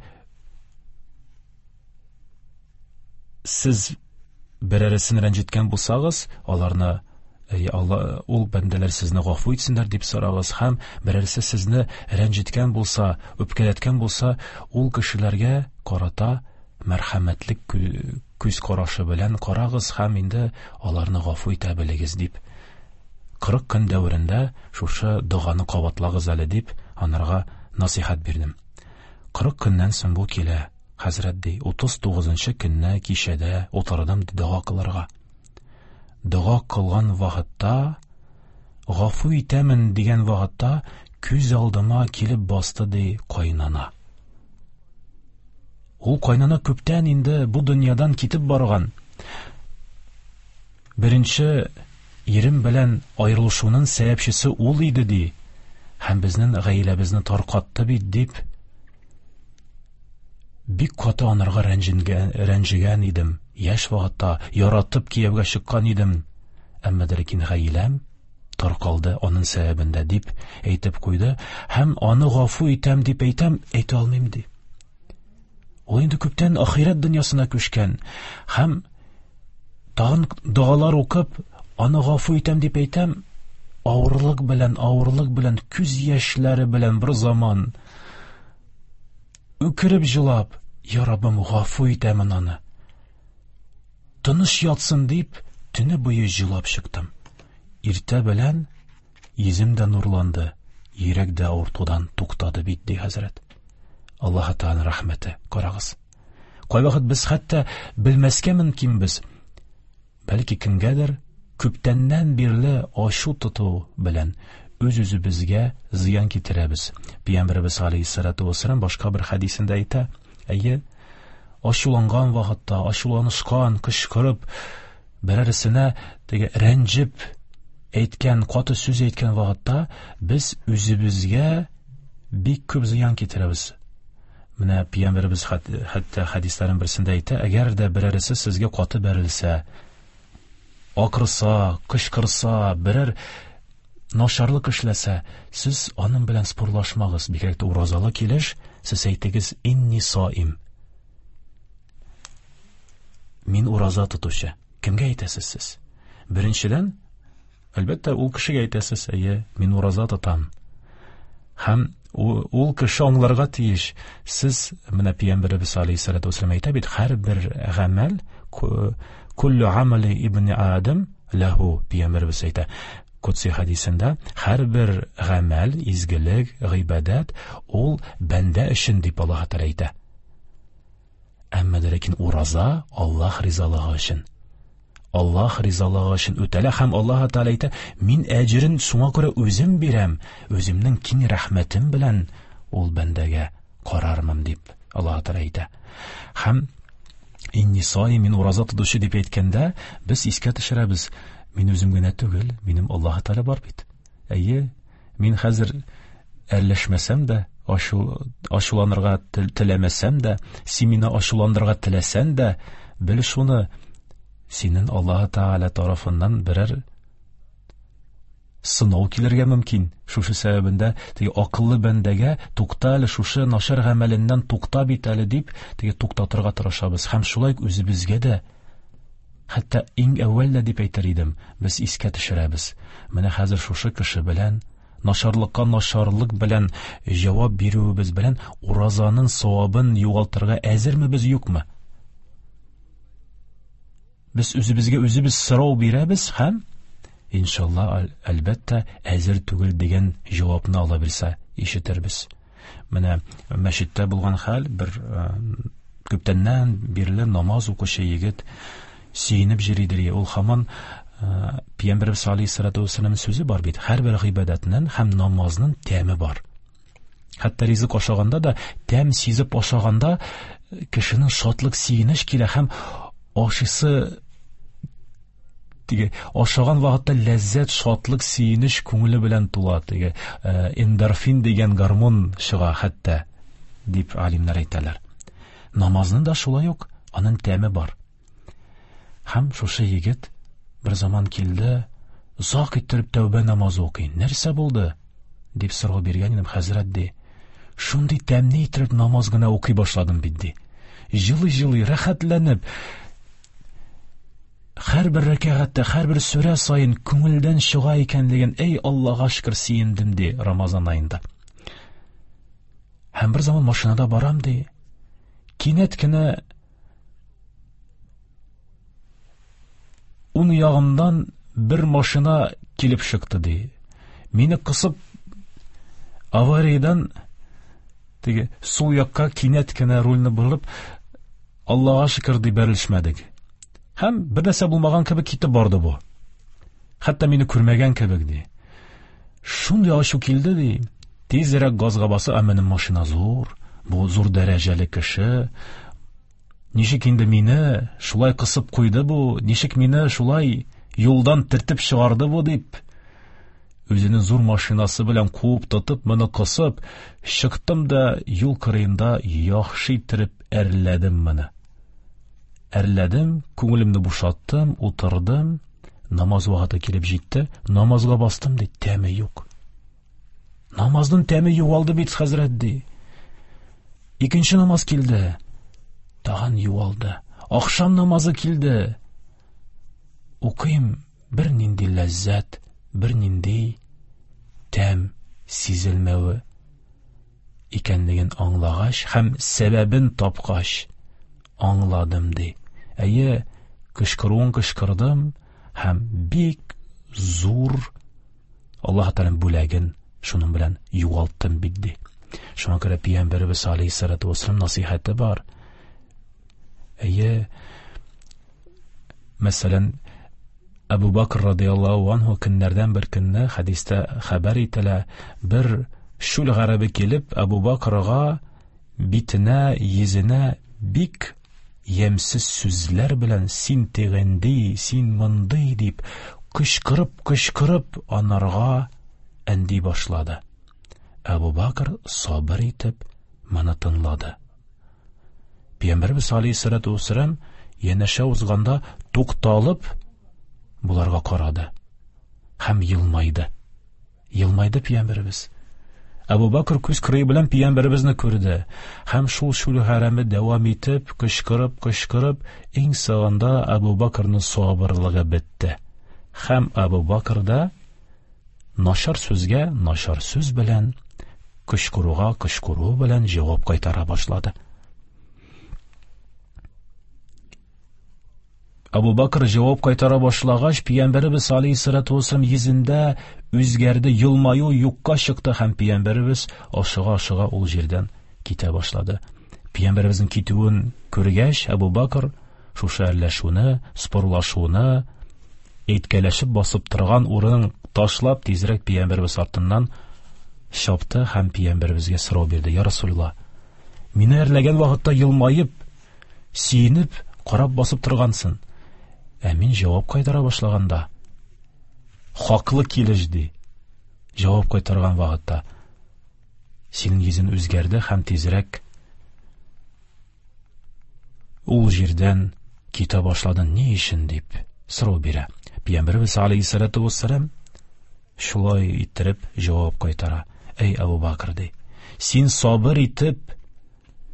сез берәрсен рәнҗеткән булсагыз, аларны, әйе, Алла, ул бәндәләр сезне гафу итсеннәр дип сорагыз, һәм берәрсе сезне рәнҗеткән булса, үпкәләткән булса, ул кешеләргә карата мәрхәмәтлек күз карашы белән карагыз һәм инде аларны гафу итә белегез дип. Кырык көн дәверендә шушы доганы кабатлагыз әле дип анарга насыйхат бирдем. Кырык көннән соң бу килә, хәзрәт ди, утыз тугызынчы көнне кичәдә утырдым дога кылырга. Дога кылган вакытта, гафу итәмен дигән вакытта күз алдыма килеп басты ди кайнана. Ул кайнана күптән инде бу дөньядан китеп барган. Беренче ирем белән аерылышуның сәбәпчесе ул иде ди. Һәм безнең гаиләбезне таркатты бит дип бик каты анарга рәнҗенгән, рәнҗегән идем. Яшь вакытта яратып кияүгә чыккан идем. Әмма дә ләкин гаиләм таркалды аның сәбәбендә дип әйтеп куйды. Һәм аны гафу итәм дип әйтәм, әйтә алмыйм ди. Ул инде күптән ахирәт дөньясына күчкән. Һәм тагын догалар укып, аны гафу итәм дип әйтәм, авырлык белән, авырлык белән, күз яшьләре белән бер заман үкереп җылап, я Раббым, гафу итәмен аны. Тыныч ятсын дип, төне буе җылап чыктым. Иртә белән йөзем дә нурланды, йөрәк дә авыртудан туктады бит, ди хәзрәт. Аллаһ Тәгаләнең рәхмәте, карагыз. Кайвакыт без хәтта белмәскә мөмкинбез. Бәлки кемгәдер күптәннән бирле ачу тоту белән үз-үзебезгә зыян китерәбез. Пәйгамбәребез алейһиссалату вассалам башка бер хәдисендә әйтә, әйе, ачуланган вакытта, ачуланышкан, кычкырып, берәрсенә теге рәнҗеп әйткән, каты сүз әйткән вакытта без үзебезгә бик күп зыян китерәбез. Менә Пәйгамбәребез хәтта хәдисләрнең берсендә әйтә, әгәр дә берәрсе сезгә каты бәрелсә, акырса, кычкырса, берәр начарлык эшләсә, сез аның белән спорлашмагыз. Бигрәк тә уразалы килеш, сез әйтегез, инни саим. Мин ураза тотучы. Кемгә әйтәсез сез? Беренчедән, әлбәттә, ул кешегә әйтәсез, әйе, мин ураза тотам. Һәм ул кеше аңларга тиеш. Сез, менә Пәйгамбәребез алейһиссалату вассалам әйтә бит, һәрбер гамәл, куллю амали ибн Адам ләһу, Пәйгамбәребез әйтә. Кудси хәдисендә, һәрбер гамәл, изгелек, гыйбадәт ул бәндә өчен дип Аллаһ Тәгалә әйтә. Әмма дә ләкин ураза Аллаһ ризалыгы өчен. Аллаһ ризалыгы өчен үтәлә һәм Аллаһ Тәгалә әйтә, мин әҗерен шуңа күрә үзем бирәм, үземнең киң рәхмәтем белән ул бәндәгә карармын дип Аллаһ Тәгалә әйтә. Һәм инни саим, мин ураза тотучы дип әйткәндә, без искә төшерәбез, мин үзем генә түгел, минем Аллаһ Тәгалә бар бит. Әйе, мин хәзер әрләшмәсәм дә, ачу, ачуланырга теләмәсәм дә, син мине ачуландырырга теләсәң дә, бел шуны, синең Аллаһ Тәгалә тарафыннан берәр сынау килергә мөмкин. Шушы сәбәбендә теге акыллы бәндәгә тукта әле, шушы начар гамәленнән тукта бит әле дип, теге туктатырга тырышабыз. Һәм шулай үзебезгә дә, хәтта иң әүвәл дә дип әйтер идем, без искә төшерәбез. Менә хәзер шушы кеше белән начарлыкка начарлык белән җавап бирүебез белән уразаның савабын югалтырга әзерме без, юкмы? Без үзебезгә үзебез сорау бирәбез һәм иншалла, әлбәттә, әзер түгел дигән җавапны ала белсә, ишетербез. Менә мәчеттә булган хәл, бер күптәннән бирле намаз укучы егет сөенеп йөридер. Ул һаман Пәйгамбәребез алейһиссалату вассалам сүзе бар бит. Һәрбер гыйбадәтнең һәм намазның тәме бар. Хәтта ризык ашаганда да тәм сизеп ашаганда кешенең шатлык, сөенеч килә һәм ашысы теге ашаган вакытта ләззәт, шатлык, сөенеч күңеле белән тула. Теге эндорфин дигән гормон чыга хәтта, дип алимнар әйтәләр. Намазның да шулай ук аның тәме бар. Һәм шушы егет бер заман килде, озак иттереп тәүбә намазы укый. Нәрсә булды? Дип сорау биргән идем, хәзрәт ди. Шундый тәмле иттереп намаз гына укый башладым бит ди. Җылы-җылы, рәхәтләнеп, һәрбер рәкәгатьтә, һәрбер сүрә саен күңелдән чыга икәнлеген, эй Аллага шөкер, сөендем ди Рамазан аенда. Һәм бер заман машинада барам ди. Кинәт кенә ун ягымдан бер машина килеп чыкты ди. Мине кысып авариядән теге сул якка кинәт кенә рульне борып, Аллага шөкер ди, бәрелешмәдек. Һәм бер нәрсә булмаган кебек китеп барды бу. Хәтта мине күрмәгән кебек ди. Шундый ачу килде ди. Тизрәк газга басып, ә минем машина зур, бу зур дәрәҗәле кеше. Ничек инде мине шулай кысып куйды бу, ничек мине шулай юлдан тертеп чыгарды бу дип, үзенең зур машинасы белән куып тотып, моны кысып, чыктым да юл кырыенда яхшы иттереп әрләдем моны. Әрләдем, күңелемне бушаттым, утырдым, намаз вакыты килеп җитте, намазга бастым ди, тәме юк. Намазның тәме югалды бит, хәзрәт ди. Икенче намаз килде, тагын югалды. Ахшам намазы килде. Укыйм, бер нинди ләззәт, бер нинди тәм сизелмәве икәнлеген аңлагач һәм сәбәбен тапкач, аңладым ди. Әйе, кычкыруын кычкырдым һәм бик зур Аллаһ Тәгаләнең бүләген шуның белән югалттым бит ди. Шуңа күрә Пәйгамбәребез алейһиссалату вассалам насыйхаты бар. Әйе, мәсәлән, Әбу Бакр радиаллаһу анһу көннәрдән бер көнне хәдистә хәбәр ителә, бер шүл гарәбе килеп Әбу Бакрга битенә, йөзенә бик ямьсез сүзләр белән син тегенди, син мондый дип кычкырып, кычкырып анарга әнди башлады. Әбу Бакр сабыр итеп моны тыңлады. Пәйгамбәребез алейһиссалату вассалам янәшә узганда тукталып буларга карады һәм елмайды. Елмайды Пәйгамбәребез. Әбу Бакр күз кырые белән Пәйгамбәребезне күрде һәм шул шүл хәрәме дәвам итеп, кычкырып, кычкырып, иң соңында Әбу Бакрның сабырлыгы бетте. Һәм Әбу Бакр да начар сүзгә начар сүз белән, кычкыруга кычкыру белән җавап кайтара башлады. Әбу Бакр җавап кайтара башлагач, Пәйгамбәребез алейһиссалату вассалам йөзендә үзгәрде, елмаю юкка чыкты һәм Пәйгамбәребез ашыга-ашыга ул җирдән китә башлады. Пәйгамбәребезнең китүен күргәч, Әбу Бакр шушы әрләшүне, спорлашуны, әйткәләшеп басып торган урынын ташлап, тизрәк Пәйгамбәребез артыннан чапты һәм Пәйгамбәребезгә сорау бирде: "Я Расулулла, мине әрләгән вакытта елмаеп, сөенеп, карап басып торгансың. Ә мин җавап кайтара башлаганда, хаклы килеш ди, җавап кайтарган вакытта синең йөзең үзгәрде һәм тизрәк ул җирдән китә башладың, ни өчен?" дип сорау бирә. Пәйгамбәребез алейһиссалату вассалам шулай иттереп җавап кайтара: "Эй Әбу Бакр ди, син сабыр итеп,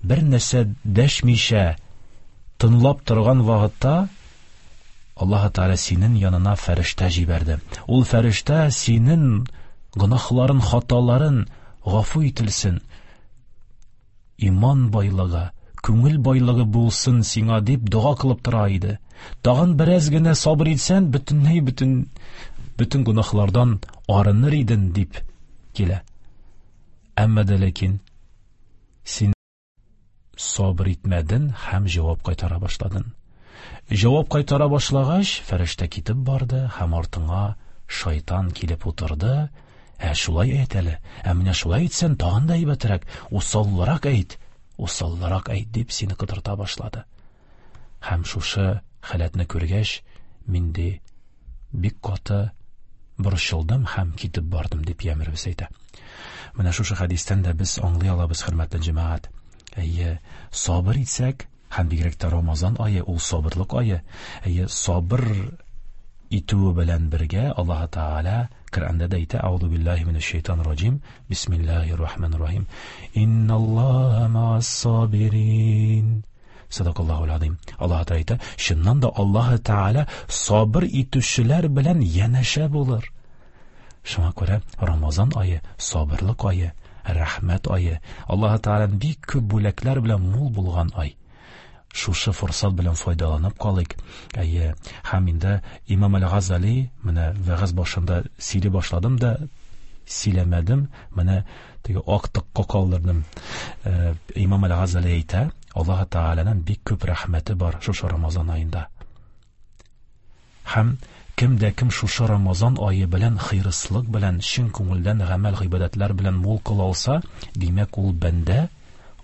бер нәрсә дәшмичә тыңлап торган вакытта Аллаһ Тәгалә синең янына фәрештә җибәрде. Ул фәрештә синең гөнаһларын, хаталарын гафу ителсен, иман байлыгы, күңел байлыгы булсын сиңа дип дога кылып тора иде. Тагын бераз генә сабыр итсән, бөтенләй бөтен бөтен гөнаһлардан арыныр идең дип килә. Әмма дә ләкин Син сабыр итмәден һәм җавап кайтара башладың. Җавап кайтара башлагач, фәрештә китеп барды һәм артыңа шайтан килеп утырды. Ә шулай әйт әле, ә менә шулай әйтсәң тагын да әйбәтрәк, усаллырак әйт, усаллырак әйт дип сине котырта башлады. Һәм шушы халәтне күргәч, мин ди бик каты борчылдым һәм китеп бардым дип Пәйгамбәребез әйтә. Менә шушы хәдистән дә без аңлый алабыз, хөрмәтле җәмәгать. Әйе, сабыр итсәк, һәм бигрәк тә Рамазан ае ул сабырлык ае. Әйе, сабыр итүе белән бергә Аллаһ Тәгалә Коръәндә дә әйтә: Аузу биллаһи минәш шайтанир раҗим. Бисмиллаһир рахманир рахим. Инналлаһа маас сабирин. Садакаллаһул азим. Аллаһ Тәгалә әйтә, чыннан да Аллаһ Тәгалә сабыр итүчеләр белән янәшә булыр. Шуңа күрә Рамазан ае сабырлык ае, рәхмәт ае, Аллаһ Тәгаләнең бик күп бүләкләр белән мул булган ай. Шушы форсат белән файдаланып калыйк. Әйе, һәм инде Имам Әл-Газали, менә вәгазь башында сөйли башладым да сөйләмәдем, менә теге актыкка калдырдым. Имам Әл-Газали әйтә, Аллаһ Тәгаләнең бик күп рәхмәте бар шушы Рамазан аенда. Һәм кем дә кем шушы Рамазан ае белән хыйрыслык белән, чын күңелдән гамәл гыйбадәтләр белән мул кыла алса, димәк ул бәндә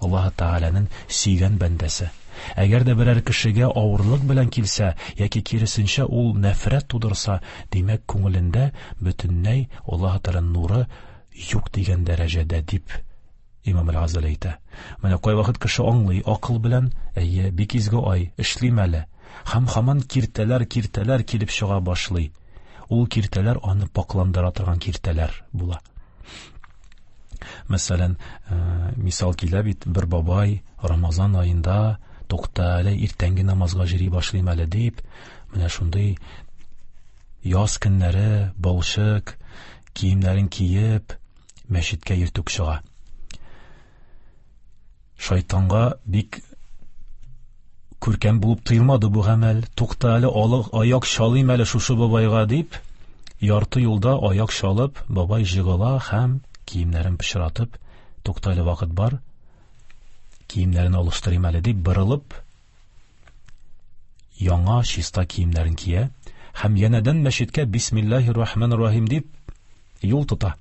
Аллаһ Тәгаләнең сөйгән бәндәсе. Әгәр дә берәр кешегә авырлык белән килсә, яки киресенчә ул нәфрәт тудырса, димәк күңелендә бөтенләй Аллаһ Тәгаләнең нуры юк дигән дәрәҗәдә дип Имам Әл-Газали әйтә. Менә кайвакыт кеше аңлый акыл белән, әйе, бик изге ай, эшлим әле. Һәм һаман киртәләр, киртәләр килеп чыга башлый. Ул киртәләр аны пакландыра торган киртәләр була. Мәсәлән, мисал килә бит, бер бабай Рамазан аенда тукта әле, иртәнге намазга йөри башлыйм әле дип, менә шундый яз көннәре балчык киемнәрен киеп мәчеткә иртүк чыга. Шайтанга бик күркәм булып тоелмады бу гамәл. Тукта әле, аяк чалыйм әле шушы бабайга дип, ярты юлда аяк чалып, бабай жыгыла һәм киемнәрен пычратып, тукта әле, вакыт бар, киемнәрен алыштырыйм әле дип борылып, яңа чиста киемнәрен кия һәм янәдән мәчеткә бисмиллаһир рахманир рахим дип юл тота.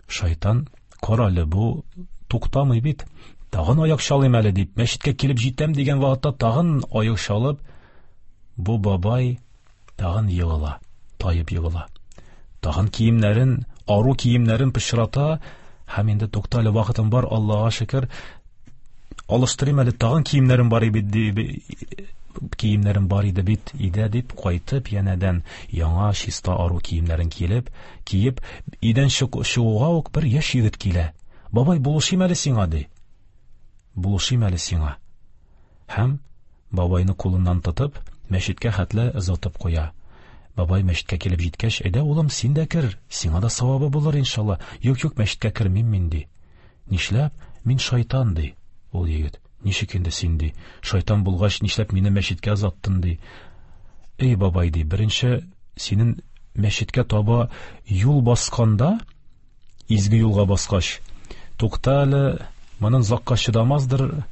Шайтан, кара әле, бу туктамый бит, тагын аяк чалыйм әле дип, мәчеткә килеп җитәм дигән вакытта тагын аяк чалып, бу бабай тагын егыла, таеп егыла. Тагын киемнәрен, ару киемнәрен пычрата һәм инде тукта әле, вакытым бар, Аллаһка шөкер, алыштырыйм әле, тагын киемнәрем бар иде, киемнәрем бар иде бит, иде дип кайтып, янәдән яңа чиста ару киемнәрен киелеп, киеп, өйдән чыгуга ук бер яшь егет килә. Бабай, булышыйм әле сиңа, ди. Булышыйм әле сиңа. Һәм бабайны кулыннан тотып, мәчеткә хәтле озатып куя. Бабай мәчеткә килеп җиткәч, әйдә, улым, син дә кер, сиңа да савабы булыр иншалла. Юк, юк, мәчеткә кермим мин, ди. Нишләп? Мин шайтан, ди ул егет. Ничек инде син, ди? Шайтан булгач, нишләп мине мәчеткә озаттың, ди. Эй, бабай, ди, беренче синең мәчеткә таба юл басканда, изге юлга баскач, тукта әле, моның озакка чыдамаздыр,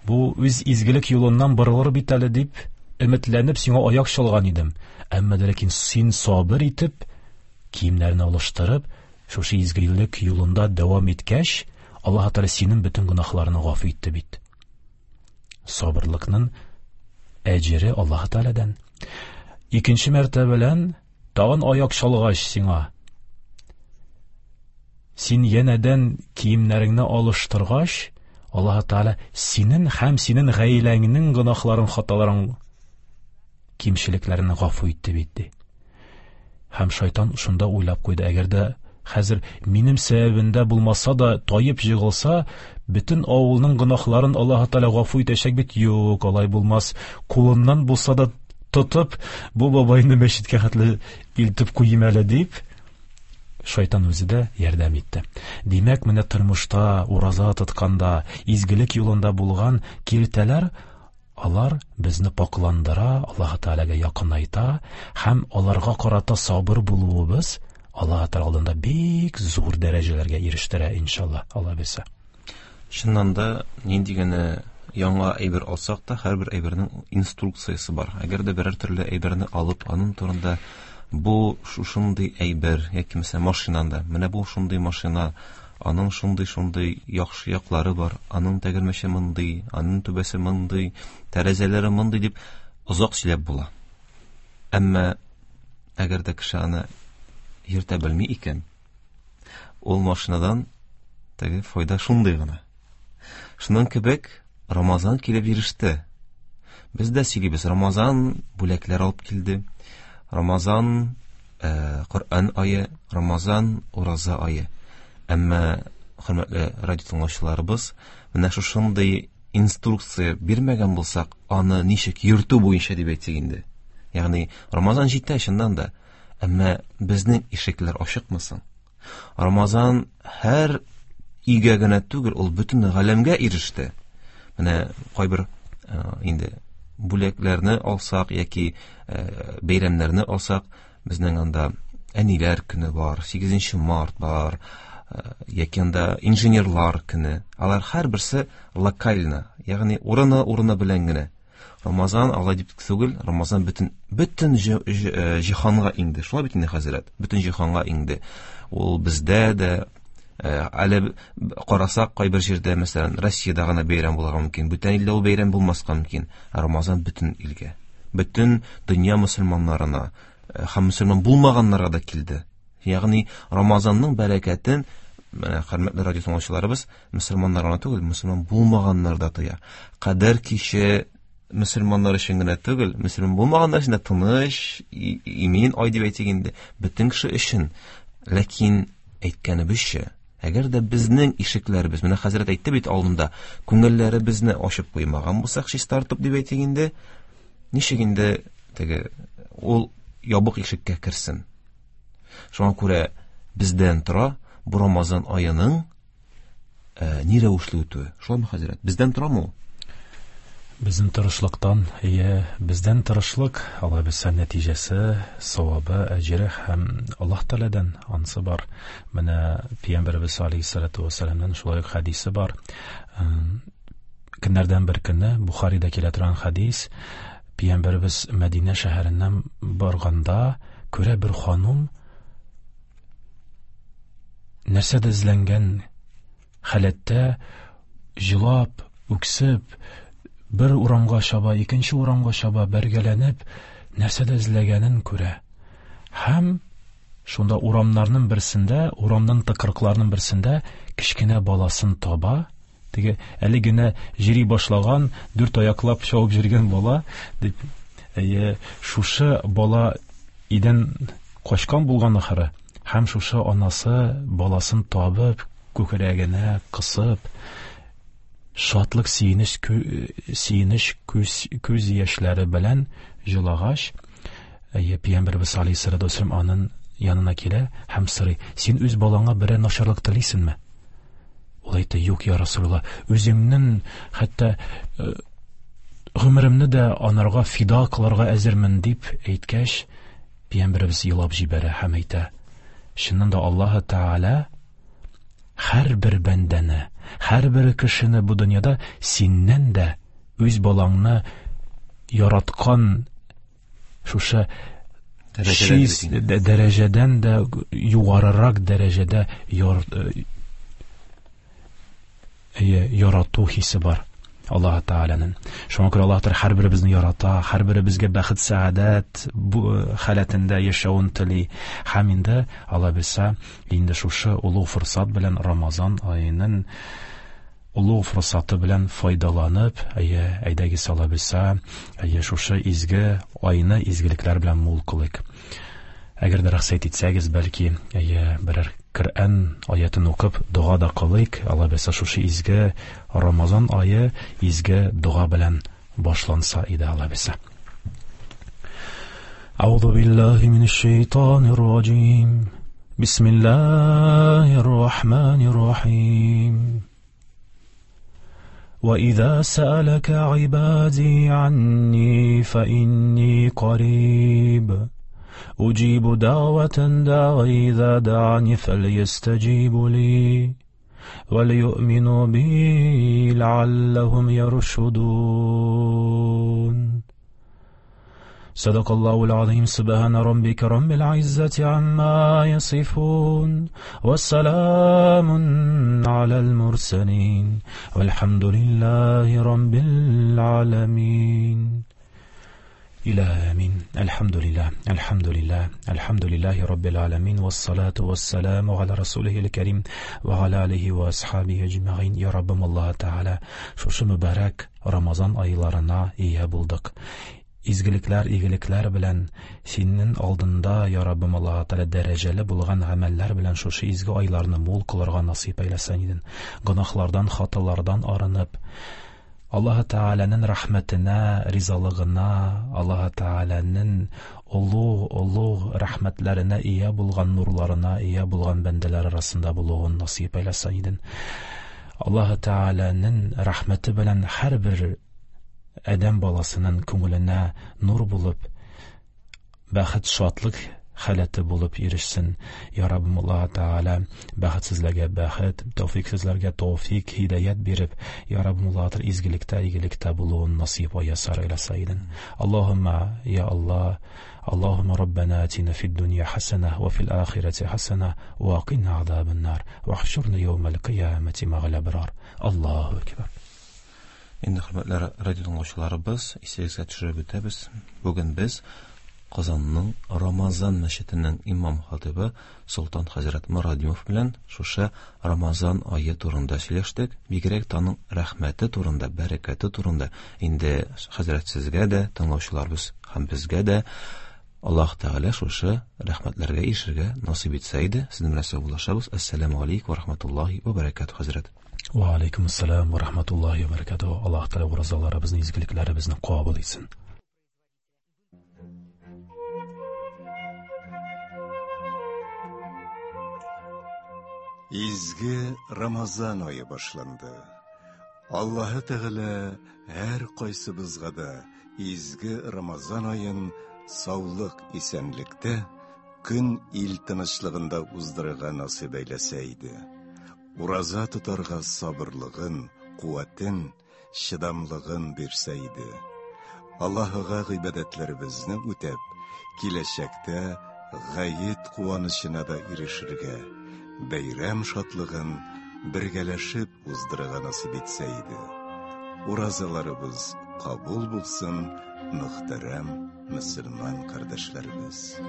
бу үз изгелек юлыннан борылыр бит әле дип өметләнеп сиңа аяк чалган идем. Әмма дә ләкин син сабыр итеп, киемнәрне алыштырып, шушы изгелек юлында дәвам иткәч, Аллаһ Тәгалә синең бөтен гөнаһларыңны гафу итте бит. Сабырлыкның әҗере Аллаһ Тәгаләдән. Икенче мәртәбәлән тагын аяк чалгач сиңа, син янәдән киемнәреңне алыштыргач, Аллаһ Тәгалә синең һәм синең гаиләңнең гөнаһларын, хаталарын, кимчелекләрен гафу итте бит, ди. Һәм шайтан шунда уйлап куйды, әгәр дә хәзер минем сәбәбендә булмаса да таеп җыгылса, бөтен авылның гөнаһларын Аллаһ Тәгалә гафу итәчәк бит. Юк, алай булмас. Кулыннан булса да тотып, бу бабайны мәчеткә хәтле илтеп куйым әле дип, шайтан үзе дә ярдәм итте. Димәк, менә тормышта ураза тотканда, изгелек юлында булган киртәләр, алар безне пакландыра, Аллаһ Тәгаләгә якынайта һәм аларга карата сабыр булуыбыз Аллаһ Тәгалә алдында бик зур дәрәҗәләргә ирештерә, иншалла, Алла бирсә. Чыннан да нинди генә яңа әйбер алсак та, һәрбер әйбернең инструкциясе бар. Әгәр дә берәр төрле әйберне алып, аның турында бу шушындый әйбер, яки мәсәлән машинада, менә бу шундый машина, аның шундый-шундый яхшы яклары бар, аның тәгәрмәче мондый, аның түбәсе мондый, тәрәзәләре мондый дип озак сөйләп була. Әмма әгәр дә кеше аны йөртә белми икән, ул машинадан теге файда шундый гына. Шуның кебек Рамазан килеп иреште. Без дә сөйлибез, Рамазан бүләкләр алып килде. Рамазан э, Коръән ае, Рамазан ураза ае. Әмма хөрмәтле радио тыңлаучыларыбыз, менә шушындый инструкция бирмәгән булсак, аны ничек йөртү буенча дип әйтсәк инде. Ягъни Рамазан җитә чыннан да, әмма безнең ишекләр ачыкмы соң? Рамазан һәр өйгә генә түгел, ул бөтен галәмгә иреште. Менә кайбер э, инде бүләкләрне алсак яки э, бәйрәмнәрне алсак, безнең анда әниләр көне бар, сигезенче март бар, э, яки анда инженерлар көне. Алар һәрберсе локально, ягъни урыны-урыны белән генә. Рамазан алай дип түгел, Рамазан бөтен бөтен җиһанга иңде. Шулай бит инде, хәзрәт, бөтен җиһанга иңде. Ул бездә дә әле карасак, кайбер җирдә, мәсәлән, Россиядә гына бәйрәм булырга мөмкин, бүтән илдә ул бәйрәм булмаска мөмкин. Ә Рамазан бөтен илгә, бөтен дөнья мөселманнарына һәм мөселман булмаганнарга да килде. Ягъни Рамазанның бәрәкәтен менә хөрмәтле радио тыңлаучыларыбыз, мөселманнар гына түгел, мөселман булмаганнар да тоя. Кадер киче мөселманнар өчен генә түгел, мөселман булмаганнар өчен дә тыныч, имин ай дип әйтик инде, бөтен кеше өчен. Ләкин әйткәнебезчә, әгәр дә безнең ишекләребез, менә хәзрәт әйтте бит алдында, күңелләребезне ачып куймаган булсак, чистартып дип әйтик инде, ничек инде теге ул ябык ишеккә керсен? Шуңа күрә бездән тора бу Рамазан аеның э, ни рәвешле үтүе. Шулаймы, хәзрәт? Бездән торамы ул? Безнең тырышлыктан, ие, бездән тырышлык, Алла бирсә нәтиҗәсе, савабы, әҗере һәм Аллаһ Тәгаләдән ансы бар. Менә Пәйгамбәребез алейһиссалату вассаламнан шулай ук хәдисе бар. Көннәрдән бер көнне Бухарида килә торган хәдис, Пәйгамбәребез Мәдинә шәһәреннән барганда күрә бер ханум нәрсәдә эзләнгән халәттә җылап, үксеп, бер урамга чаба, икенче урамга чаба, бәргәләнеп, нәрсәдә эзләгәнен күрә. Һәм шунда урамнарның берсендә, урамның тыкрыкларының берсендә кечкенә баласын таба. Теге әле генә җыри башлаган, дүрт аяклап чабып йөргән бала дип, әйе, шушы бала идән качкан булган ахыры. Һәм шушы анасы баласын табып, күкрәгенә кысып, шатлык, сөенеч, сөенеч күз, күз яшьләре белән җылагач, әйе, Пәйгамбәребез алейһиссалату вассалам аның янына килә һәм сорый: "Син үз балаңа берәр начарлык телисеңме?" Ул әйтә: "Юк, я Расулулла, үземнең хәтта гомеремне дә анарга фида кылырга әзермен", дип әйткәч, Пәйгамбәребез елап җибәрә һәм әйтә: "Чыннан да Аллаһ Тәгалә һәрбер бәндәне, һәрбер кешене бу дөньяда синнән дә үз балаңны яраткан шушы чиз дәрәҗәдән дә югарырак дәрәҗәдә яр, ярату хисе бар Аллаһ Тәгаләнең. Шуңа күрә Аллаһ Тәгалә һәрберебезне ярата, һәрберебезгә бәхет, сәгадәт бу халәтендә яшәвен тели. Һәм инде Алла бирсә, инде шушы олуг форсат белән Рамазан аеның олуг форсаты белән файдаланып, әйе, әйдәгез Алла бирсә, әйе, шушы изге айны изгелекләр белән мул кылыйк. Әгәр дә рөхсәт итсәгез, бәлки, әйе, берәр Коръән аятын укып, дога да кылыйк. Алла бирсә, шушы изге Рамазан ае изге дога белән башланса иде, Алла бирсә. Әгъузу биллаһи минәш шайтанир раҗим. Бисмиллаһир рахманир рахим. وإذا سألك عبادي عني فإني قريب أجيب دعوة داعي إذا دعاني فليستجيبوا لي وليؤمنوا بي لعلهم يرشدون. صدق الله العظيم. سبحان ربك رب العزة عما يصفون والسلام على المرسلين والحمد لله رب العالمين. إلى آمين. الحمد لله الحمد لله الحمد لله رب العالمين والصلاة والسلام على رسوله الكريم وعلى آله وأصحابه أجمعين. يا ربم الله تعالى шушы мөбарәк Рамазан айларына ия булдык. Изгелекләр, игелекләр белән синең алдында, я Раббым Аллаһ Тәгалә, дәрәҗәле булган гамәлләр белән шушы изге айларны мул кылырга насыйп әйләсен идең. Гөнаһлардан, хаталардан арынып, Аллаһ Тәгаләнең рәхмәтенә, ризалыгына, Аллаһ Тәгаләнең олуг, олуг рәхмәтләренә ия булган нурларына ия булган бәндәләр арасында булуын насыйп әйләсен идең. Аллаһ Тәгаләнең рәхмәте белән һәрбер адәм баласының күңеленә нур булып, бәхет, шатлык халәте булып ирешсен. Я Раббым Аллаһ Тәгалә, бәхетсезләргә бәхет, тәүфиксезләргә тәүфик, һидаят биреп, я Раббым Аллаһ Тәгалә, изгелектә, игелектә булуын насыйп аясар әйләсә идең. Аллаһумма я Аллаһ, اللهم ربنا آتنا في الدنيا حسنة وفي الآخرة حسنة وقنا عذاب النار واحشرنا يوم القيامة مع الأبرار. الله أكبر. Инде хөрмәтле радио тыңлаучыларыбыз, исегезгә төшереп үтәбез. Бүген без Казанның Рамазан мәчетенең имам хатибы Солтан хәзрәт Морадимов белән шушы Рамазан ае турында сөйләштек. Бигрәк тә аның рәхмәте турында, бәрәкәте турында. Инде хәзрәт сезгә дә, тыңлаучыларыбыз һәм безгә дә Аллаһ Тәгалә шушы рәхмәтләргә ирешергә насыйп итсә иде. Сезнең белән саубуллашабыз. Ассаламу алейкум ва рахматуллаһи ва баракатуһ, хәзрәт. Ва алейкум ассалам ва рахматуллаһи ва баракатуһ. Аллаһ Тәгалә уразаларыбызны, изгелекләребезне кабул итсен. Изге Рамазан ае башланды. Аллаһы Тәгалә һәр кайсыбызга да изге Рамазан аен саулык, исәнлектә, көн ил тынычлыгында уздырырга насыйп әйләсә иде. Ураза тотарга сабырлыгын, куәтен, чыдамлыгын бирсә иде. Аллаһыга гыйбадәтләребезне үтәп, киләчәктә гает куанычына да ирешергә, бәйрәм шатлыгын бергәләшеп уздырырга насыйп итсә иде. Уразаларыбыз кабул булсын, мөхтәрәм мөселман кардәшләребез.